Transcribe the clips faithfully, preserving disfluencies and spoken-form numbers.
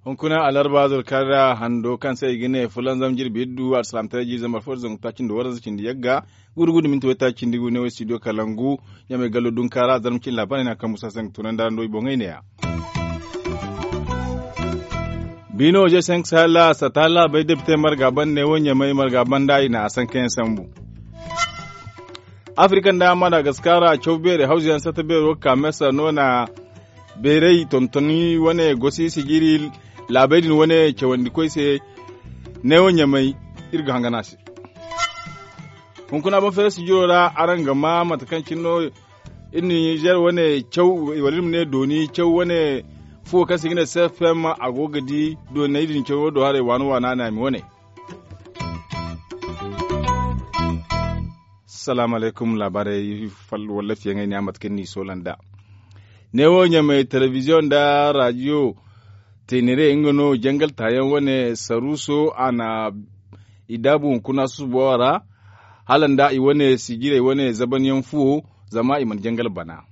Hunkuna alarba zurkar ra hando kaŋ se i ga ne fulanzam jirbi iddu alsalaamtaray jiiri zambar fo da zangu taaci nda waranza cindi yagga. Gudu gudu minti waytaaci cindi gu ne wo studio kalangu. Ɲamay gallo dunka ra zarma cine laabaarey no a kaŋ musa se ga tunandi araŋ do i boŋey ne-ya. Biino je senk sahel sata laabey depite marga banda ne wo ɲamay marga banda i na a sankayaŋ sambu. Afirika nda madagaskar ra caw beerey hawzuyaŋ sata beero ga ka mesa no na beerey tontoni wane gosi sijiri laabey din wane cawandi koy se. Neewo ɲamay iri ga hangan a se. Hunkuna ban fere sijiro ra araŋ ga ma mate kaŋ cine no iri na nizer wane caw wala iri ma ne dooni caw wane fuwo kaŋ se i ga ne cfm a go ga di dooney din cawo do haray waana waana naami wane. Salaamu alaykum laabaarey. Wallafiyaŋey ne a mate kaŋ ni soola nd'a. Neewo ɲamay telebiziyoŋ nda raadiyo teenere nga no jangal taayaŋ wane saruuso a na i daabu hunkuna susubo a ra hala nda i wane sijirey wane zabanyaŋ fuwo. Zama i mana jangal bana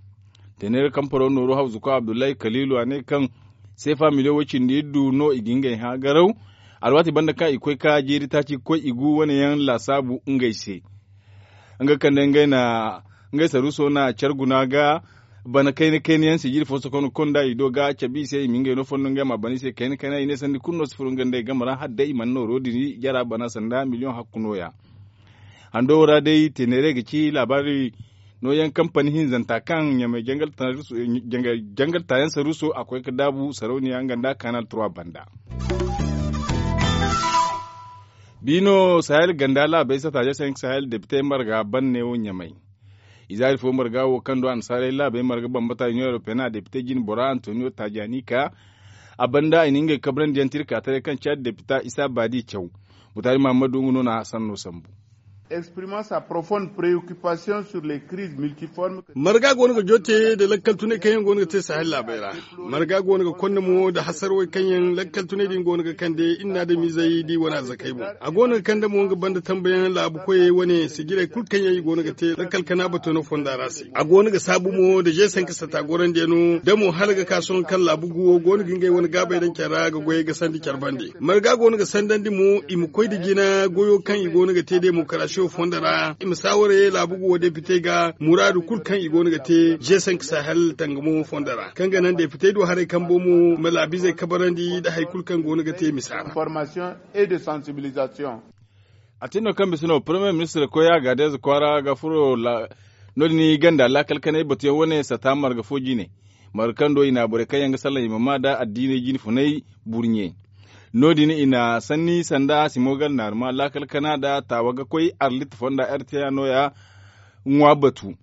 teenere kamparo nooru hawzuko abdullahi kaliilu a ne kaŋ seefa miliyoŋ way cindi iddu no i ga ngey hã garaw. Alwaati banda kaŋ i koy ka jeeri taaci ga koy i gu wane yaŋ laasaabu ngey se. Nga kaŋ day ngey na ngey saruuso na care guna ga bana kayna kayna yaŋ sijiri fo sokonda i do ga cabe i se i ma ngey no fondo ngey ma a bana i se kayna kayna i ne sandi kulu no si furo nga nd'ey game ra hala day i mana nooro din jara bana sanda miliyoŋ hakku nooya. Hando wo ra day teeneerey ga ci laabaari nooyaŋ kampani hinzanta kaŋ ɲamay jangal taayaŋ saruuso a koy ga daabu sarauniya nga nda kanal trois banda. Biino sahel ganda laabey sata je senk sahel depite marga banne wo ɲamay. Izaari fo marga wo kaŋ do annasaarey laabey marga bambata union européenne a depite jine bora antonio tajanika. A banda i na ngey kabrandi yaŋ tirka taray kaŋ caadi depita isa baadi caw. Butaari mahammadu nga no na a sanno sambu. Exprimant sa profonde préoccupation sur les crises multiformes. Marga go no ga joote nda lakkal tunay kaŋ yaŋ go no ga te sahel laabey ra. Marga go no ga konda mo nda hasarwey kaŋ yaŋ lakkal tunay din go no ga kande iri na adamizey da i wane arzakey boŋ. A go no ga kande mo nga banda tambayaŋ laabu koyey wane sijirey kulu kaŋ yaŋ i go no ga te lakkal kana bato no fonda ra se. A go no ga saabu mo nda jeesanka sata gorandiyaŋo da mo hala ga ka sohõ kaŋ laabu guwo go no ga ngey wane gaabey daŋ care ra ga goyey ga sandi care bande. Marga go no ga sandandi mo i ma koy nda jina goyo kaŋ i go no ga te demokarasiyo fondo ra i ma saaware laabu guwo depite ga muraadu kulu kaŋ i go no ga te jeesanka sahel tangamo fondo ra kaŋ ga naŋ depitey du haray kambo mo ma laabizey kabarandi nda hari kulu kaŋ go no ga te misa ra. A tin no kaŋ bisa no premier ministre koy a ga deeza kwaara ga furo no- din i ganda laakal kanay batuyaŋ wane sata marga fo jine. Marga kaŋ do i na borey kaŋ yaŋ ga salaŋ i ma maa nda addiiney jine funay burɲe. No- din i na sanni sanda simo gar naaruma laakal kana nda taawa ga koy arlit fonda rta nooya ŋwa batu.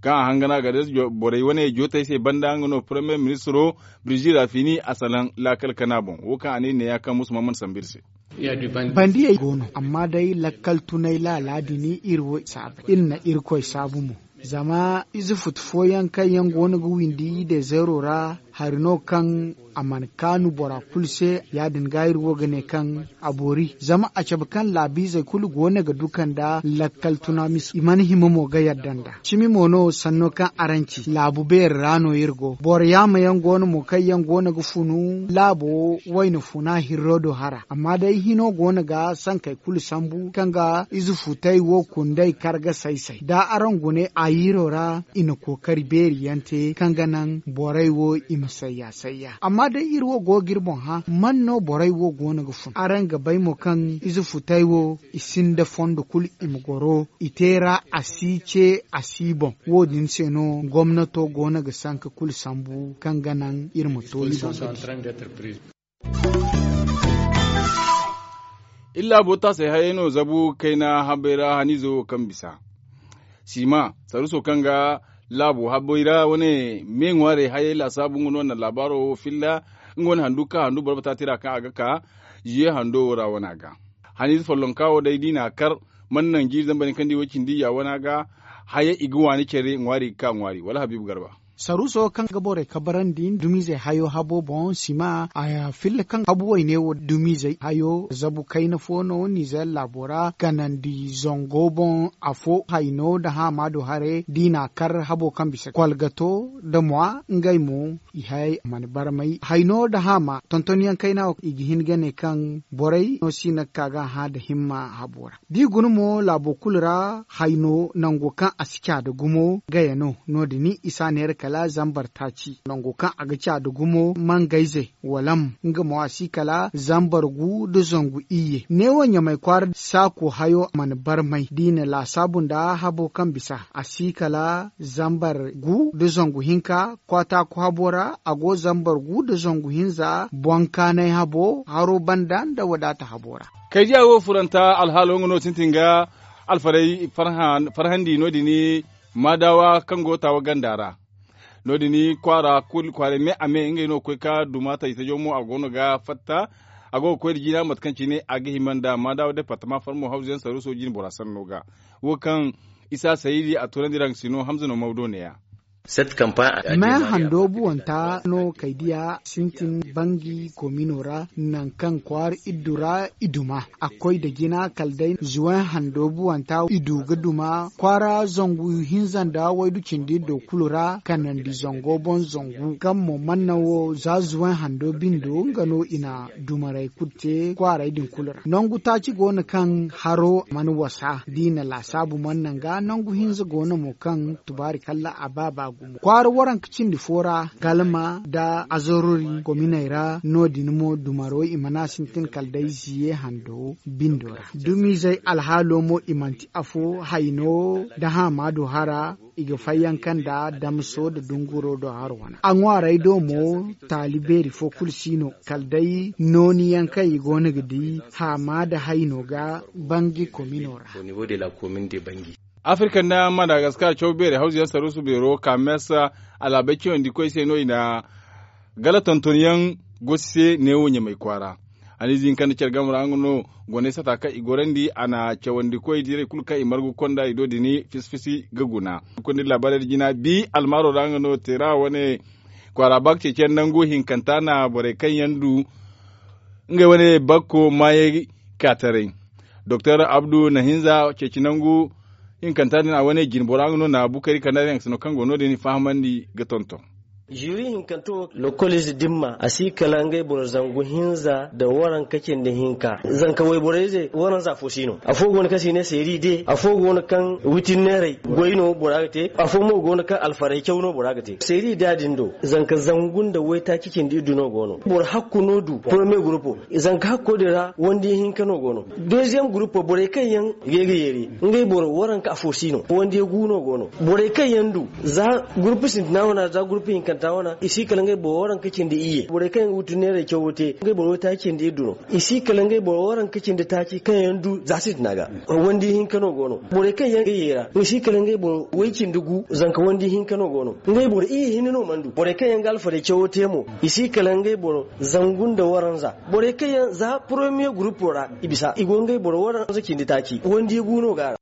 Kaŋ a hangan a ga deeza borey wane jootey se banda nga no premier ministro birzi rafini a salaŋ laakal kana boŋ wo kaŋ a ne i ne ya kaŋ musu ma mana sambu iri se. Bandiyey go no amma day lakkal tunay laala din iri wo i saabu iri na irkoy saabu mo. Zama ize futu fooyaŋ kaŋ yaŋ go no ga windi dezeero ra hari no kaŋ a mana kaanu bora kulu se. Ya- din ga iri wo ga ne kaŋ a boori zama a cabe kaŋ laabiizey kulu go no ga duka nda lakkal tuna mise i mana hima mo ga yadda nd'a. Cimi mo no sanno kaŋ araŋ ci laabu beeri ra no iri go boro yaama yaŋ go no mo kaŋ yaŋ go no ga funu laabo wayna funa hirro do hara amma day hino go no ga sankey kulu sambu kaŋ ga ize futay wo kunday kar ga say say da araŋ gune a yiiro ra i na kookari beeri yaŋ te kaŋ ga naŋ borey wo i ma sayya sayya amma day iri wo go ga iri boŋ hã man no borey wo go no ga fun araŋ ga bay mo kaŋ ize futay wo i sinda fondo kulu i ma goro i te ra a si ce a si boŋ. Wo- din se no gomnato go no ga sanka kulu sambu kaŋ ga naŋ iri ma to i boŋ ga di. Iri laabo taasey hayey no zabu kayna habey ra haniizo wo kaŋ bisa sima saruso kaŋ ga laabo habey ra wane me ŋwaarey hayey laasaabu nga no na laabaaro wo filla. Nga wane handu ka handu boro bata tira kaŋ a ga ka ziye hando wo ra wana ga haniize follonka wo day da i na a kar mana naŋ jiiri zambar ni kaŋ di way cindi ya wana ga haya i ga waani care ŋwaari ga ka ŋwaari wala habiibu garba. Saruuso kaŋ ga borey kabarandi dumizey hayo habo boŋ sima a filla kaŋ habu wayne wo dumizey hayo zabu kayna fo no nizer laabo ra kanandi zango boŋ afo hayno nda haama do haray da i n'a kar habo kaŋ bisa kolgato nda mwa ngey mo i hay a mana barmay hayno nda haama tontonyaŋ kayna wo i ga hin ga ne kaŋ borey no si no ga ka ga a hã nda himma habo ra. Da i guna mo laabo kulu ra hayno nango kaŋ a si caada gumo gaya no no- din i s'a neera kala zambar taaci nango kaŋ a ga caada gumo mangayze walam nga mo a si kala zambar gu nda zangu iyye neewo ɲamay kwaara saako hayo mana barmay da i na laasaabu nda habo kaŋ bisa a si kala zambar gu nda zangu hinka kwaataaku habo ra a go zambar gu nda zangu hinza boŋkaanay habo haro banda nda wadaata habo ra. Kaydiya wo furanta alhaalo nga no sintin ga alfarhandi no- din maadawa kaŋ go taawa ganda ra. No- din kwaara kulu kwaaray me a me ngey no ga koy ga duma taji tajo mo a go no ga fatta a go ga koy nda jina mate kaŋ cine a ga hima nda maadawa departama farmo hawzu yaŋ saruuso jine bora sanno ga wo kaŋ isa sayidi a toonandi ra nga si no hamza no mawdo neeya. Me hando buwanta no kaydiya sintin bangi komino ra nangu kaŋ kwaara iddu ra i duma a koy nda jina kala day zuwen hando buwanta i du ga duma kwaara zangu hinza nda waydu cindi do kulu ra kanandi zango boŋ zangu kaŋ mo mana naŋ wo za zuwen hando bindo nga no i na dumarey kulu te kwaaray din kulu ra nangu taaci go no kaŋ haro mana wasa da i na laasaabu mana naŋ ga nangu hinza go no mo kaŋ tubaari kalla a ba ba gumo kwaara waranka cindi fo ra galma nda azarori kominey ra no- din mo dumaro i mana sintin kala day ziye hando bindo ra dumizey alhaalo mo i manti afo hayno nda haamaado hara i ga fayyaŋ kaŋ nda damso nda dunguro do haro wana a ŋwaarey do mo taali beeri fo kulu si no kala day nooni yaŋ kaŋ i go no ga di haamaado hayno ga bangi komino ra. Afirka nda madagaskar caw beerey hawzu yaŋ saruusu beero kames alaabey cawandi koy se no i na gala tonton yaŋ gosi se neewo ɲamay kwaara. Haniize hinka nda care game ra nga no goney sata kaŋ i gorandi a na cawandi koy direy kulu kaŋ i margu konda i do din fisi fisi ga guna. Kondi laabaarey da jina bi almaaro ra nga no teera wane kwaara ba ga ceeciyaŋ nangu hinkanta na borey kaŋ yaŋ du ngey wane bakko maayey ka taray. Doktor abdu nahinza ceeci nangu hinkanta din a wane jinbora nga no na bukari kanda din a ga sino kaŋ go no din fahamandi ga tonton. Ziiri hinkanta wo lokolize dimma a si kala ngey boro zangu hinza nda waranka cindi hinka zanka wayborey ze waranza afo si no afo go no kaŋ si ne seeri de afo go no kaŋ witin neerey goy no bora ga te afo mo go no kaŋ alfaray caw no bora ga te seeri da din do zanka zangu nda waytaaci cindi iddu no go no boro hakku no du porome gurupo zanka hakko din ra wandi hinka no go no deziyem gurupo borey kaŋ yaŋ ga ye ga yeeri ngey boro waranka afo si no wandi gu no go no borey kaŋ yaŋ du za gurupu sintina wana za gurupu hinkanta wana i si kala ngey boro waranka cindi iyye borey kaŋ yaŋ ga wutu neerey cawo te ngey boro waytaaci cindi iddu no i si kala ngey boro waranka cindi taaci kaŋ yaŋ du za sintina ga wandi hinka no go no borey kaŋ yaŋ ga yeera i si kala ngey boro way cindi gu zanka wandi hinka no go no ngey boro iyye hinne no mana du borey kaŋ yaŋ ga alfarey cawo te mo i si kala ngey boro zangu nda waranza borey kaŋ yaŋ za poromiye gurupo ra i bisa i go ngey boro waranza cindi taaci wandi gu no ga a ra.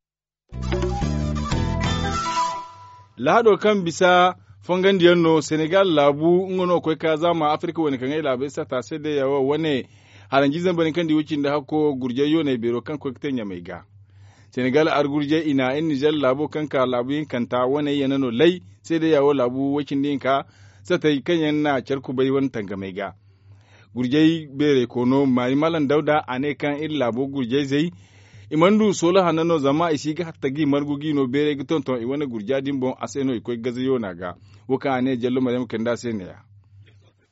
Lahado kaŋ bisa fongandiyaŋ no senegal laabu nga no koy ka zaama afirka wane kaŋ ay laabey sata se day yawo wane haranji zambarin kaŋ di wucin da hakko gurjay yoonay beero kaŋ koy ga te ɲamay ga senegal argurjay i na ay nizer laabo kaŋ ka laabu hinkanta wane yana no lay se day yawo laabu wucin da hinka satay kaŋ yaŋ na care kubay wane tangamay ga gurjay beeray koono maari malam dawda a ne kaŋ iri laabo gurjayzey i mana du soola hanno no zama i si ga hatta ga i margu ga i no beeray ga tonton i wane gurja din boŋ a se no i koy gaza yoona ga wo kaŋ a ne jallo maryam kande a se neeya.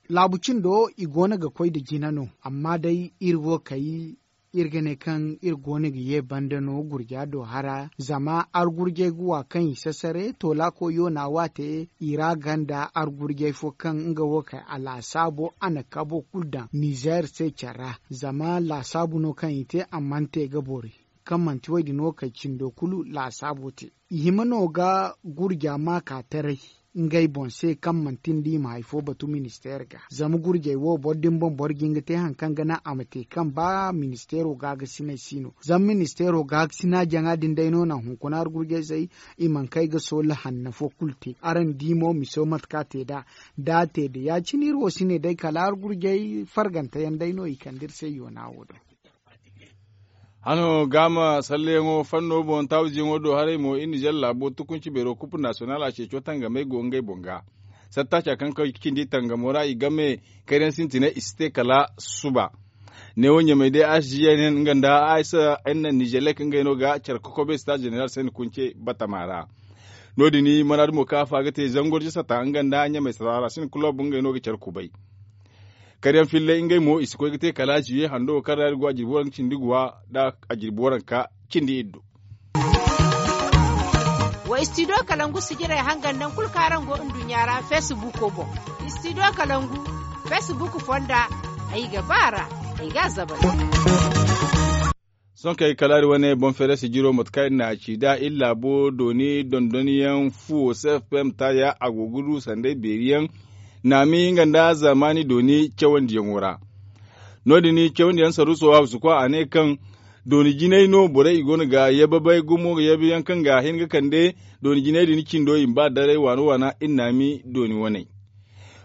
Laabu cindo i goono ga koy nda jina no amma day iri wo kay iri ga ne kaŋ iri goono ga ye banda no gurja do hara zama argurjay ga wa kaŋ i sasare toolaako yoona waate i ra ganda argurjay fo kaŋ nga wo kay a laasaabo a na kabo kulu daŋ nizer se care ra zama laasaabu no kaŋ i te a mana te ga bori kaŋ manti woy din wo kay cindo kulu laasaabo te i hima no ga gurja ma ka taray. ngey boŋ se kaŋ manti nda i ma hari fo batu ministeer ga. Zama gurjey wo boro din boŋ boro ga hin ga te hari kaŋ ga naŋ a ma te kaŋ ba ministeero gaagasiney si no. Zama ministeero gaagasina jaŋa din day no naŋ hunkuna hari gurjey se i mana kay ga soola hanna fo kulu te. Araŋ di mo miso mate kaŋ a te nd'a da a te da ya- cine iri wo si ne day kala hari gurjey fargante yaŋ day no i kande iri se yoona wo do. Hano gaama salleyaŋo fanno boŋ taawiziyaŋo do haray mo iri nizer laabo tukunci beero kupu nasiyonal a ceeco tangamey go ngey boŋ ga. Sattaaca kaŋ ga cindi tangamo ra i game kayna sintinay i si te kala suba. Neewo ɲamey day a si jiya nen nga nda a isa n na nizelek ngey no ga care kokobe sita zeneral se ni kunce batama ra. No- din mana dumo kaŋ a fa ga te zango da sata nga nda ɲamey sata ra si ni kulob ngey no ga care kubay. Karyaŋ fillay ngey mo i si koy ga te kala ziye hando kaŋ ra iri go a jirbi waranka cindi guwa nda a jirbi waranka cindi iddu. Wa istidiyo kalangu sijirey hangan nangu kulu kaŋ araŋ go nduɲɲa ra feesibuuko boŋ. Istidiyo kalangu feesibuuk fonda ay ga ba a ra. Ay ga a zabari. Sohõ kay kala iri wane boŋ feerasi jiro mate kaŋ iri na a ci nd'a iri laabo dooni dondonyaŋ fuwo cfpm taaya a go ga du sanday beeri yaŋ naami nga nda zaamaani dooni cawandiyaŋo ra. No- din cawandiyaŋ saruuso hawsukwa a ne kaŋ dooni jinay no borey i go no ga yababay gumo ga yabayaŋ kaŋ ga hin ga kande dooni jinay din cindo i ma ba daray waana waana iri naami dooni waney.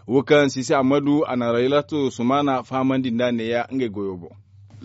Wo kaŋ sisi ammadu a na raylato sumaana fahamandi nd'a neeya ngey goyo boŋ.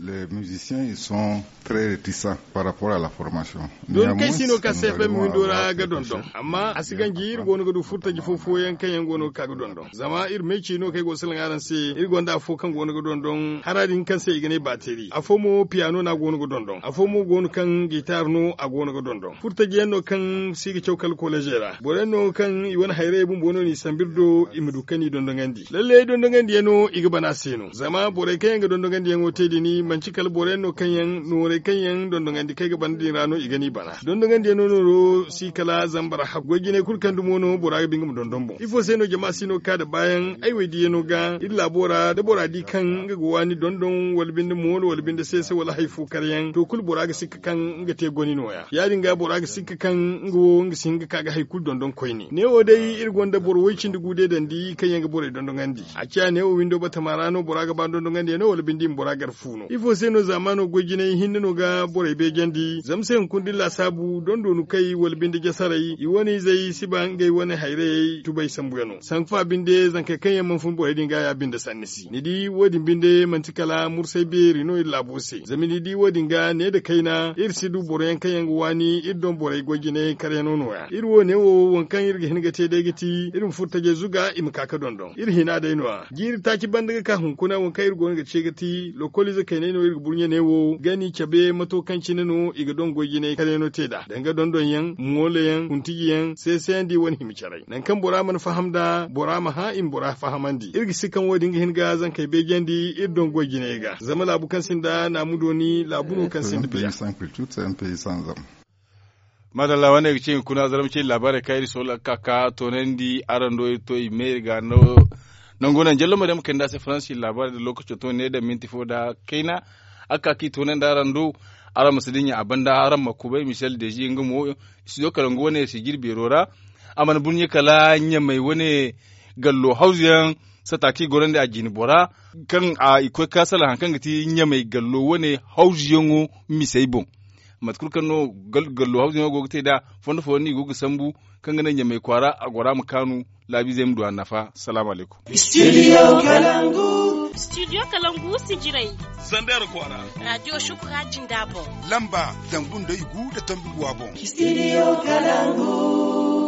Les musiciens ils sont très réticents par rapport à la formation. Dooni kaŋ si no ka cfm windo ra ga dondon amma a si ganji iri go no ga du furtaji fo fooyaŋ kaŋ yaŋ go no ga ka ga dondon zama iri meeci no kaŋ ay go ga salaŋ araŋ se. Iri gonda afo kaŋ go no ga dondon hara din kaŋ se i ga ne baateri afo mo piyano no a go no ga dondon afo mo go no kaŋ gitar no a go no ga dondon furtaji yaŋ no kaŋ si ga caw kala kolejey ra boro yaŋ no kaŋ i wane hayrayey bumbo no n'i sambu iri do i ma du kaŋ n'i dondonandi lallay dondongandiyaŋo i ga bana se no zama borey kaŋ yaŋ ga dondongandiyaŋo te din manti kala boro yaŋ no kaŋ yaŋ noorey kaŋ yaŋ dondonandi kaŋ ay ga bana din ra no i ga n'i bana dondongandiyaŋo nooro si kala zama boro hagu goy jinay kulu kaŋ dumo no bora ga ba nga ma dondon boŋ ifo se no jama si no ga ka nda baayaŋ ay wo ay diyaŋo ga iri laabo ra da bora di kaŋ nga ga waani dondon wala binde moolo wala binde seese wala hari fo karyaŋ to kulu bora ga sikka kaŋ nga te goni nooya ya- din ga bora ga sikka kaŋ nga wo nga si hin ga ka ga hari kulu dondon koyne neewo day iri gonda boro way- cindi gu deedandi kaŋ yaŋ ga borey dondonandi a ciya neewo windo batama ra no bora ga ba dondongandiyaŋo wala binde i ma bora gar fu no ifo se no zaamaano goy jinay hinne no ga borey beejandi zama se hunkuna da iri laasaabu dondoonu kay wala binde jasaray i wane izey si ba ngey wane hayrayey tubay sambuyaŋo sanku fa binde zankey kaŋ yaŋ mana fun borey din ga ya binde sanni si ni di wo- din binde manti kala mursay beeri no iri laabo se zama ni di wo- din ga ne nda kayna iri si du boro yaŋ kaŋ yaŋ ga waani iri doŋ borey goy jinay karyaŋo nooya iri wo- ne wo waŋ kaŋ iri ga hin ga te day ga ti iri ma furtajey zuga i ma ka ga dondon iri hina day no- ya jiiri taaci banda ga ka hunkuna waŋ kaŋ iri go no ga ce ga ti lokoliize kaynay no iri ga burɲe ne wo gani cabe mato kaŋ cine no i ga doŋ goy jinay karyaŋo te nd'a danga dondonyaŋ moolayaŋ kuntijiyaŋ seesayandi wane hima caray nangu kaŋ bora mana faham nd'a bora ma hã i ma bora fahamandi iri ga si kaŋ wo- din ga hin ga zankey beejandi iri doŋ goy jinay ga zama laabu kaŋ sinda naamu dooni laabu no kaŋ sinda biya. Maadalla wane ga ci hunkuna zarma cindi laabaarey kaŋ iri soola ga ka ga toonandi araŋ do iri to i me iri ga nangu naŋ jallo ma day ma kande a se faransi laabaarey nda lookaco to ne daŋ minti fo nda kayna a ga ka ga i toonandi araŋ do. Araŋ ma si dinya a banda araŋ ma kubay michel dezi nga mo studio kalangu wane sijiri beero ra a mana burɲe kala ɲamey wane gallo hawzuyaŋ sata kaŋ i gorandi a jine bora kaŋ i koy ga ka salaŋ hari kaŋ ga ti ɲamey gallo wane hawzuyaŋo misey boŋ. Mate kulu kaŋ no gallo hawzuyaŋo go ga te nd'a fondo fooyaŋ no i go ga sambu kaŋ ga naŋ ɲamey kwaara a gora ma kaanu laabiizey ma du a nafa. Salaamu alaykum. Studio kalangu sijirey. Zander kwaara. Radiyo shukura jinda boŋ. Lamba zangu nda i gu nda tombi guwa boŋ. Studio kalangu.